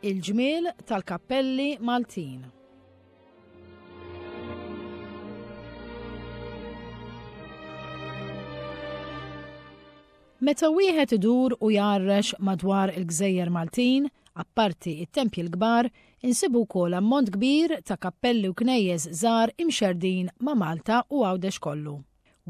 Il-ġmiel tal-kappelli Maltin. Meta wieħed idur u jgħarrex madwar il-gżejjer Maltin, apparti it-tempji l-kbar, insibu wkoll ammont kbir ta' kappelli u knejjes żgħar imxerrdin ma' Malta u Għawdex kollu.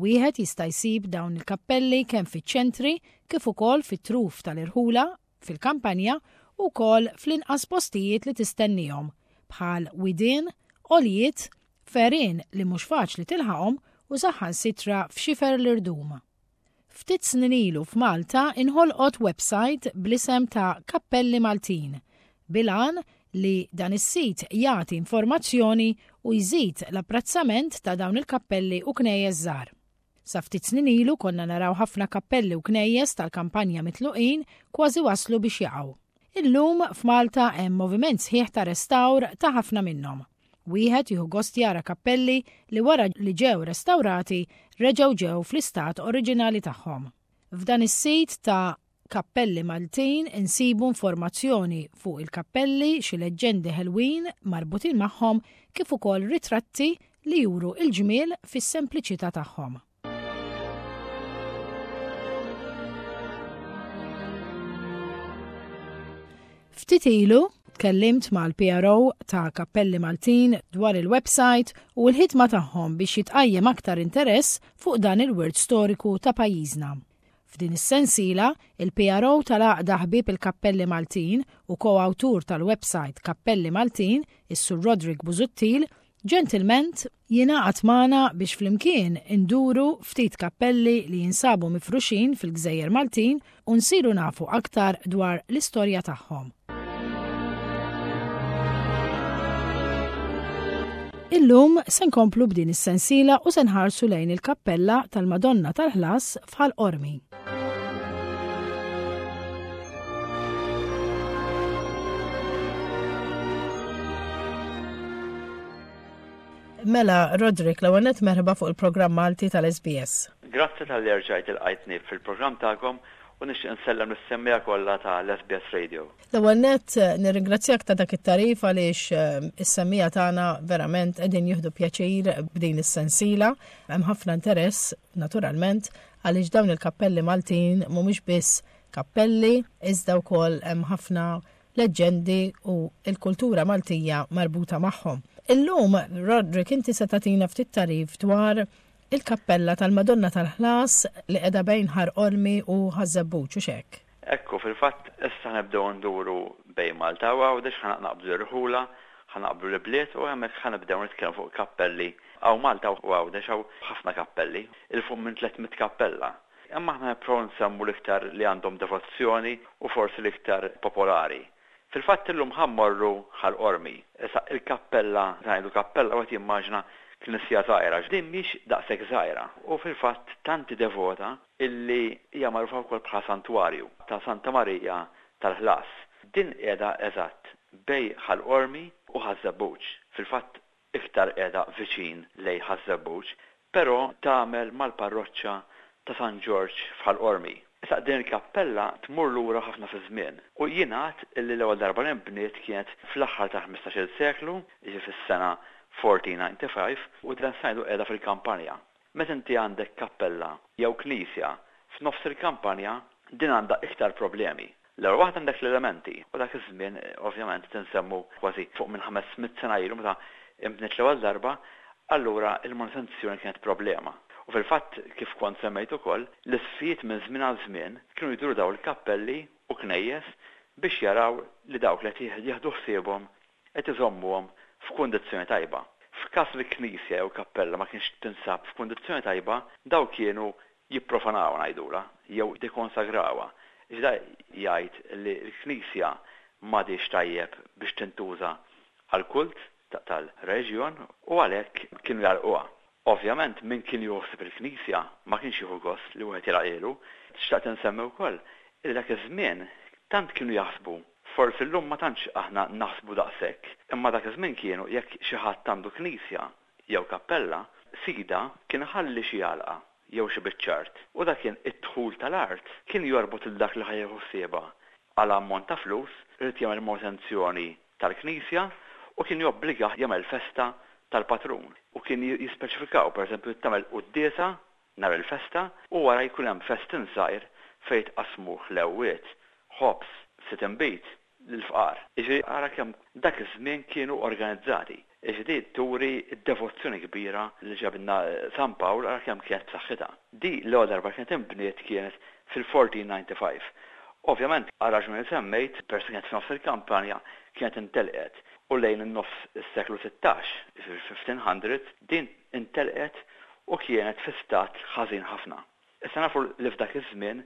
Wieħed jista' jsib dawn il-kappelli kemm fiċ-ċentri kif ukoll fit-truf tal-irħula, fil-kampanja u wkoll fl-inqas postijiet li tistennihom, bħal widien, għoljiet, f'għerien li mhux faċli tilħaqhom u saħansitra f'xifer l-irdum. Ftit snin ilu f'Malta inħolqot websajt bl-isem ta' Kappelli Maltin, bil-għan li dan is-sit jagħti informazzjoni u jżid l-apprezzament ta' dawn il-kappelli u knejjes żgħar. Sa ftit snin ilu konna naraw ħafna kappelli u knejjes tal-kampanja mitluqin kważi waslu biex jaqgħu. Illum f'Malta hemm moviment sħiħ ta' restawr ta' ħafna minnhom. Wieħed jieħu gost jara kappelli li wara li ġew restawrati reġgħu ġew fl-istat oriġinali tagħhom. F'dan is-sit ta' Kappelli Maltin insibu informazzjoni fuq il-kappelli, xi leġġendi ħelwin marbutin magħhom kif ukoll ritratti li juru l-ġmiel fis-sempliċità tagħhom. Ftit ilu tkellimt mal-PRO ta' Kappelli Maltin dwar il-website u l-ħidma tagħhom biex jitqajjem aktar interess fuq dan il-wirt storiku ta' pajjiżna. F'din is-sensiela, il-PRO tal-Għaqda Ħbieb il-Kappelli Maltin u ko-awtur tal-website Kappelli Maltin, is-Sur Roderick Busuttil, ġentilment jingħaqad magħna biex flimkien induru ftit kappelli li jinsabu mifruxin fil-gżejjer Maltin u nsiru nafu aktar dwar l-istorja tagħhom. Illum se nkomplu b'din is-sensiela u se nħarsu lejn il-kappella tal-Madonna tal-Ħlas f'Ħal Qormi. Mela, Roderick, l-ewwel nett merħba fuq il-programm Malti tal-SBS. Grazzi talli erġajt ilqajtni fil-programm tagħkom u nixtieq insellem lis-semmiegħa kollha ta' l-SBS Radio. L-ewwel nett nirringrazzjak ta' dak it-tagħrif għaliex is-semmiegħa tagħna verament qegħdin jieħdu pjaċir b'din is-sensiela. Hemm ħafna interess naturalment għaliex dawn il-kappelli Maltin mhumiex biss kappelli iżda wkoll hemm ħafna leġġendi u l-kultura Maltija marbuta magħhom. Illum, Roderick, inti se tagħtina ftit tagħrif dwar il-kappella tal-Madonna tal-Ħlas li qiegħda bejn Ħar Qormi u Ħaż-Żebbuġ, hux hekk? Ekku, fil-fatt issa ħa nibdew nduru bejn Malta u Għawdex, ħa naqbdu l-irħula, ħa naqbdu l-ibliet u hemmhekk ħa nibdew nitkellmu fuq kappelli. Hawn Malta u Għawdex hawn ħafna kappelli, 'il fuq minn 300 kappella. Imma aħna nipprovaw nsemmu l-iktar li għandhom devozzjoni u forsi l-iktar popolari. Fil-fatt illum ħa mmorru Ħal Qormi. Issa il-kappella, meta ngħidu kappella wieħed jimmaġina knisja żgħira. Din mhix daqshekk żgħira u fil-fatt tant hi devota illi hija magħrufa wkoll bħala santwarju ta' Santa Marija tal-Ħlas. Din qiegħda eżatt bejn Ħal Qormi u Ħaż-Żebbuġ. Fil-fatt iktar qiegħda viċin lejn Ħaż-Żebbuġ, però tagħmel mal-parroċċa ta' San Ġorġ f'Ħal Qormi. Issa din il-kappella tmur lura ħafna fiż-żmien u jingħad illi l-ewwel darba li nbniet kienet fl-aħħar tal-ħmistax-il seklu, jiġifieri fis-sena 1495, u dan se ngħidu qiegħda fil-kampanja. Meta inti għandek kappella jew knisja f'nofs il-kampanja, din għandha iktar problemi. L-ewwel waħda għandek l-elementi, u dak iż-żmien ovvjament qed insemmu kważi fuq minn 500 sena ilu meta inbniet l-ewwel darba, allura l-manutenzjoni kienet problema. U fil-fatt kif kont semmejt ukoll, l-isqfijiet minn żmien għal żmien kienu jduru dawn il-kappelli u knejjes biex jaraw li dawk li qed jieħdu ħsiebhom qed iżommuhom f'kundizzjoni tajba. F'każ li knisja jew kappella ma kienx tinsab f'kundizzjoni tajba, dawn kienu jipprofanawha ngħidulha, jew jikkonsagrawha. Iżda jgħid li l-knisja m'għadhiex tajjeb biex tintuża għall-kult tal-reliġjon u għalhekk kienu jagħlquha. Ovvjament min kien jieħu ħsieb il-knisja ma kienx jieħu gost li wieħed jagħlaqhielu. Xtaqt insemmi wkoll li dak iż-żmien tant kienu jaħsbu, forsi llum ma tantx aħna naħsbu daqshekk, imma dak iż-żmien kienu jekk xi ħadd għandu knisja jew kappella, sidha kien iħalli xi għalqa jew xi biċċa art u dak kien id-dħul tal-art kien jorbot lil dak li ħa jieħu ħsiebha. għal ammont ta' flus irid jagħmel manutenzjoni tal-knisja u kien jobbligah jagħmel festa tal-patrun. U kien jispeċifikaw, pereżempju, tagħmel quddiesa nhar il-festa u wara jkun hemm festin żgħir fejn jitqassmu ħlewwiet, ħobż, ftit inbid lill-fqar. Jiġifieri ara kemm dak iż-żmien kienu organizzati. Jiġifieri di turi d-devozzjoni kbira li ġabilna San Pawl ara kemm kienet b'saħħitha. Di l-ewwel darba kienet inbniet kienet fil-1495. Ovvjament għar-raġuni li semmejt, peress li kienet f'nofs il-kampanja, kienet intelqet u lejn in-nofs is-seklu 16, jiġifieri fil-1500s, din intelqet u kienet fi stat ħażin ħafna. Issa nafu li f'dak iż-żmien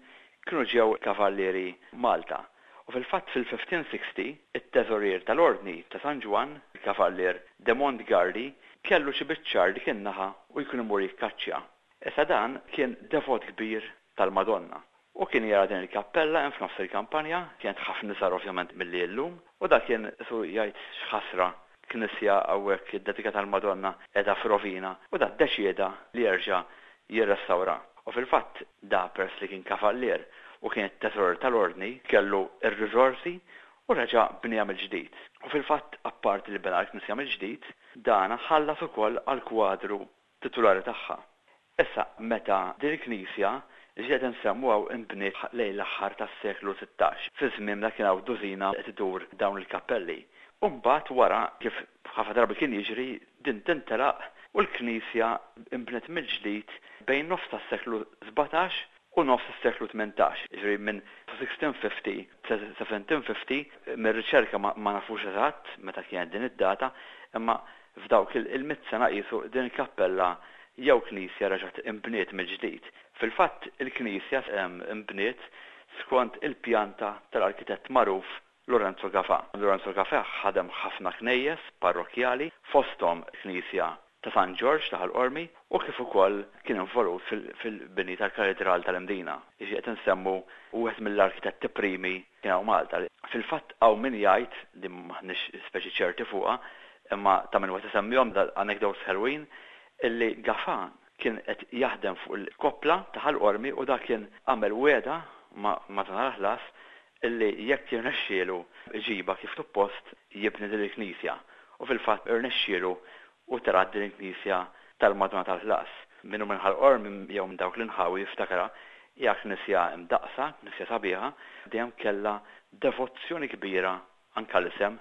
kienu ġew kavallieri Malta u fil-fatt fil-1560 it-teżorier tal-Ordni ta' San Ġwann, il-Kavallier de Montgardi, kellu xi biċċa art dik in-naħa u jkun imur jikkaċċja. Issa dan kien devot kbir tal-Madonna u kien jara din il-kappella hemm f'nofs il-kampanja, kienet ħafna iżgħar ovvjament milli hi llum, u dak kien qisu jgħid x'ħasra knisja hawnhekk iddedikata għall-Madonna qiegħda f'rovina u da ddeċieda li jerġa' jirrestawra. U fil-fatt da peress li kien kavallier u kien it-teżorier tal-Ordni kellu r-riżorsi u reġa' bnieha mill-ġdid. U fil-fatt apparti li bena l-knisja mill-ġdid, dana ħallas ukoll għall-kwadru titulari tagħha. Issa, meta din il-knisja li qed insemmu hawn inbniet lejn l-aħħar tas-seklu 16, fi żmien meta kien hawn dużina qed idur dawn il-kappelli. U mbagħad wara, kif ħafna drabi kien jiġri, din tintelaq u l-knisja nbniet mill-ġdid bejn nofs tas-seklu 17 u nofs is-seklu 18, jiġifieri minn 1650 sa 1750, mir-riċerka ma nafux eżatt meta kienet din id-data, imma f'dawk il-mitt sena qisu din il-kappella jew knisja reġgħet inbniet mill-ġdid. Fil-fatt il-knisja nbniet skont il-pjanta tal-arkitett magħruf Lorenzo Gafà. Lorenzo Gafà ħadem ħafna knejjes parrokkjali, fosthom il-knisja ta' San Ġorġ ta' Ħal Qormi u kif ukoll kien involut fil-bini tal-Katidral tal-Imdina. Jiġifieri qed insemmu wieħed mill-arkitetti primi kien hawn Malta. Fil-fatt hawn min jgħid, din m'aħniex speċi ċerti fuqha, imma ta' min wieħed isemmihom dal-anecdotes ħelwin, illi Gafà kien qed jaħdem fuq il-koppla ta' Ħal Qormi u dak kien għamel wegħda ma' Madonna l-Ħlas illi jekk jirnexxielu jġibha kif suppost jibni din il-knisja. U fil-fatt irnexxielu u tela' din il-knisja tal-Madonna tal-Ħlas. Min hu minn Ħal Qormi jew minn dawk l-inħawi jiftakarha, hija knisja mdaqqsa, knisja sabiħa, dejjem kellha devozzjoni kbira anke l-isem,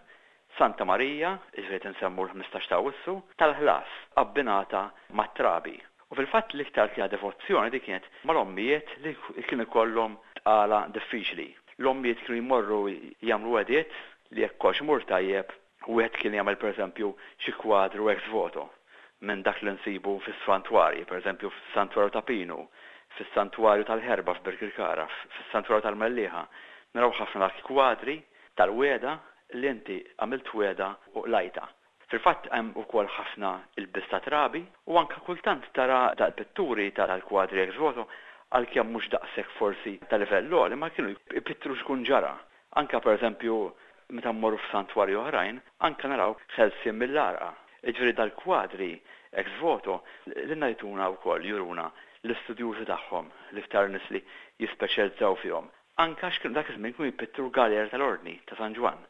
Santa Marija, jiġifieri qed insemmu l-15 ta' Awwissu, tal-ħlas, abbinata mat-trabi. U fil-fatt l-iktar kienet devozzjoni din kienet mal-ommijiet li kien ikollhom tqala diffiċli. L-ommijiet kienu jmorru jagħmlu wegħdiet li jekk kollox imur tajjeb, wieħed kien jagħmel pereżempju xi kwadru ex voto minn dak li nsibu fis-santwarji, pereżempju fis-Santwarju ta' Pinu, fis-Santwarju tal-Ħerba f'Birkirkara, fis-Santwarju tal-Mellieħa, naraw ħafna dak kwadri tal-wegħda li inti għamilt wegħda u qlajtha. Fil-fatt hemm ukoll ħafna ilbies ta' trabi u anke kultant tara dal-pitturi tal-kwadri ex voto għalkemm mhux daqshekk forsi ta' livell għoli imma kienu jpittru x'ikun ġara. Anke pereżempju meta mmorru f'santwarji oħrajn anke naraw ħelsien mill-għarqa. Jiġifieri dal-kwadri ex voto lilna jtuna wkoll juruna l-istudjużi tagħhom, l-iktar nies li jispeċjalizzaw fihom. Anke għax kienu dak iż-żmien kienu jpittru l-galera tal-Ordni ta' San Ġwann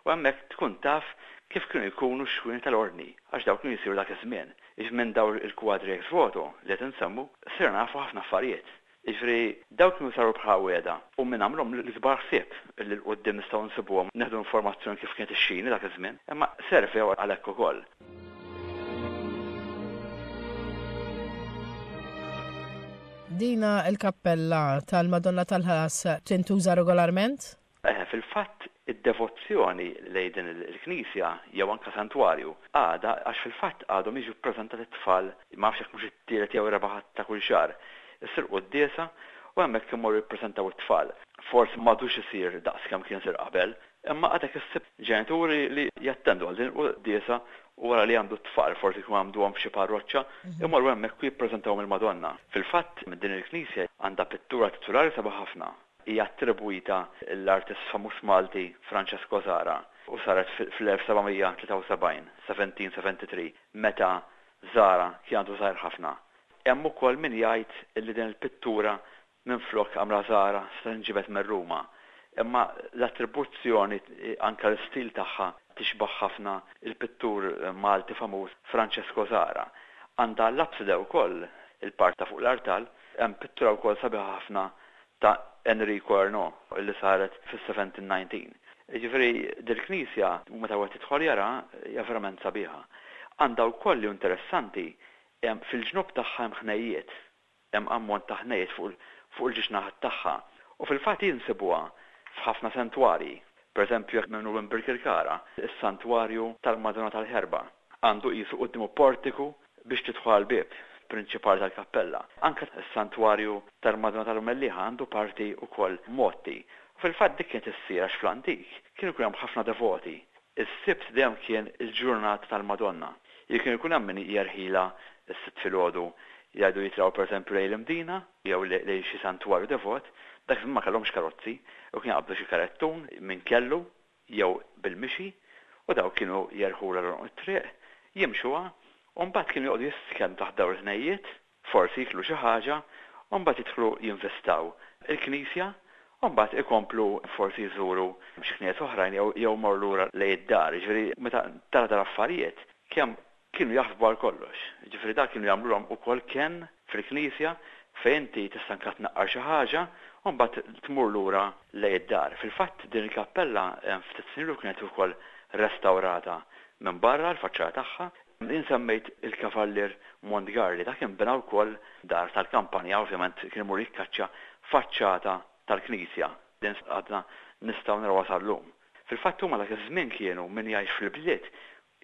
u hemmhekk tkun taf kif kienu jkunu x-xwieni tal-Ordni għax dawk kienu jsiru dak iż-żmien. Jiġifieri minn dawn il-kwadri ex voto li qed insemmu sirna nafu ħafna affarijiet. Jiġifieri dawk kienu saru bħala wegħda u min għamlhom l-ikbar ħsieb li 'l quddiem nistgħu nsibuhom nieħdu informazzjoni kif kienet ix-xini dak iż-żmien, imma servew għal hekk ukoll. Dina l-kappella tal-Madonna tal-Ħlas tintuża regolarment? Eħe, fil-fatt id-devozzjoni lejn din il-knisja jew anke santwarju għadha għax fil-fatt għadhom jiġu ppreżentati t-tfal, ma nafx jekk mhux it-tielet jew ir-raba' Ħadd ta' kull xahar, issir quddiesa u hemmhekk imorru jippreżentaw it-tfal. Forsi m'għadux isir daqs kemm kien isir qabel, imma għadek issib ġenituri li jattendu għal din il-quddiesa u wara li għamdu t-tfal, forsi jkunu għamduhom f'xi parroċċa, imorru hemmhekk u jippreżentawhom il-Madonna. Fil-fatt, din il-knisja għandha pittura titulari sabiħa ħafna. Hija attribwita lill-artist famuż Malti Francesco Zahra u saret fl-1773, 1773, meta Zahra kien għadu żgħir ħafna. Hemm ukoll min jgħid li din il-pittura minflok għamla Zahra setgħet inġibet minn Ruma. Imma l-attribuzzjoni anke l-istil tagħha tixbah ħafna il-pittur Malti famuż Francesco Zahra. Għandha l-apside wkoll, il-part ta' fuq l-artal, hemm pittura wkoll sabiħa ħafna ta' Enrico Ernaud li saret fis-1719. Jiġifieri dil-knisja meta wieħed jidħol jara hija verament sabiħa. Għandha wkoll li hu interessanti hemm fil-ġnub tagħha hemm ħnejjiet. Hemm ammont ta' ħnejjiet fuq fuq il-ġiex naħat tagħha. U fil-fatt hi nsibuha f'ħafna santwarji. Pereżempju jekk min hu minn Birkirkara, is-santwarju tal-Madonna tal-Ħerba għandu qisu quddiemu portiku biex tidħol għall-bieb prinċipali tal-kappella. Anke s-santwarju tal-Madonna tal-Mellieħa għandu parti wkoll mgħotti. U fil-fatt dik kienet issir għax fl-antik kien ikun hemm ħafna devoti. Is-Sibt dejjem kien il-ġurnata tal-Madonna. Jiġifieri kien ikun hemm min jerħilha s-Sibt filgħodu jgħidu jitilgħu pereżempju lejn l-Imdina jew lejn xi santwarju devot. Dak iż-żmien ma kellhomx karozzi u kien jaqbdu xi karettun min kellu jew bil-mixi u dawk kienu jerħulha l-għonq it-triq, jimxuha u mbagħad kienu joqogħdu jistkennu taħt dawn il-ħnejjiet, forsi jieklu xi ħaġa u mbagħad jidħlu jinvistaw il-knisja u mbagħad ikomplu forsi jżuru xi knejjes oħrajn jew jew imorru lura lejn id-dar. Jiġifieri meta tara dal-affarijiet kemm kienu jaħsbu għal kollox. Jiġifieri dak kienu jagħmlulhom ukoll kenn fil-knisja fejn inti tista' anke tnaqqar xi ħaġa u mbagħad tmur lura lejn id-dar. Fil-fatt din il-kappella ftit snin ilu kienet ukoll restawrata minn barra l-faċċata tagħha. Jien semmejt il-Kavallier Montgarli, dak kien bena wkoll dar tal-kampanja, ovvjament kien imur jikkaċċa faċċata tal-knisja. Din għadna nistgħu narawha sal-lum. Fil-fatt huma dak iż-żmien kienu min jgħix fil-bliet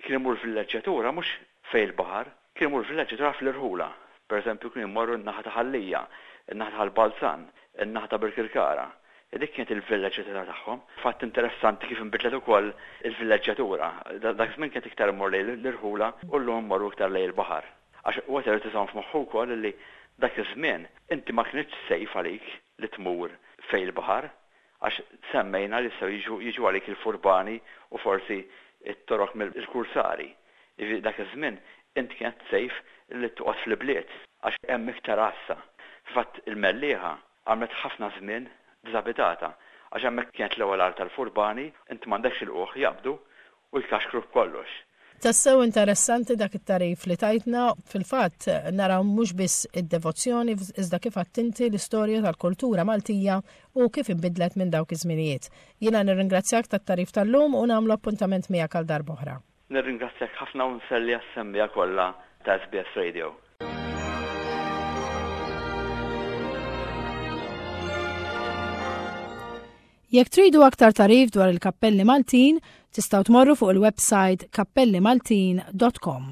kien imur villeġġjatura mhux fejn il-baħar, kien imur villeġġjatura fl-irħula. Per eżempju kienu jmorru n-naħa ta' Ħal Lija, in-naħa ta' Ħal Balzan, in-naħa ta' Birkirkara. Dik kienet il-villeġġjatura tagħhom. Fatt interessanti kif inbidlet ukoll il-villeġġjatura. Dak iż-żmien kienet iktar immur lejn l-irħula u llum immorru iktar lejn il-baħar. Għax wieħed irid iżomm f'moħħu wkoll li dak iż-żmien inti ma kinitx safe għalik li tmur fejn il-baħar. Għax semmejna li jistgħu jiġu jiġu għalik il-furbani u forsi t-torok mill-kursari. Jiġifieri dak iż-żmien int kienet safe li toqgħod fl-ibliet għax hemm iktar għassa. Fil-fatt il-Mellieħa għamlet ħafna żmien diżabitata għax hemmhekk kienet l-ewwel art tal-furbani, int m'għandekx ilqugħ jaqbdu u jkaxkru b'kollox. Tassew interessanti dak it-tagħrif li tajtna. Fil-fatt, naraw mhux biss id-devozzjoni iżda kif għedt inti l-istorja tal-kultura Maltija u kif inbidlet minn dawk iż-żminijiet. Jiena nirringrazzjak tat-tagħrif tal-lum u nagħmlu appuntament miegħek għal darb'oħra. Nirringrazzjak ħafna u nselli għas-semmiegħa kollha ta' SBS Radio. Jekk tridu aktar tagħrif dwar il-kappelli Maltin, tistgħu tmorru fuq il-website kappellimaltin.com.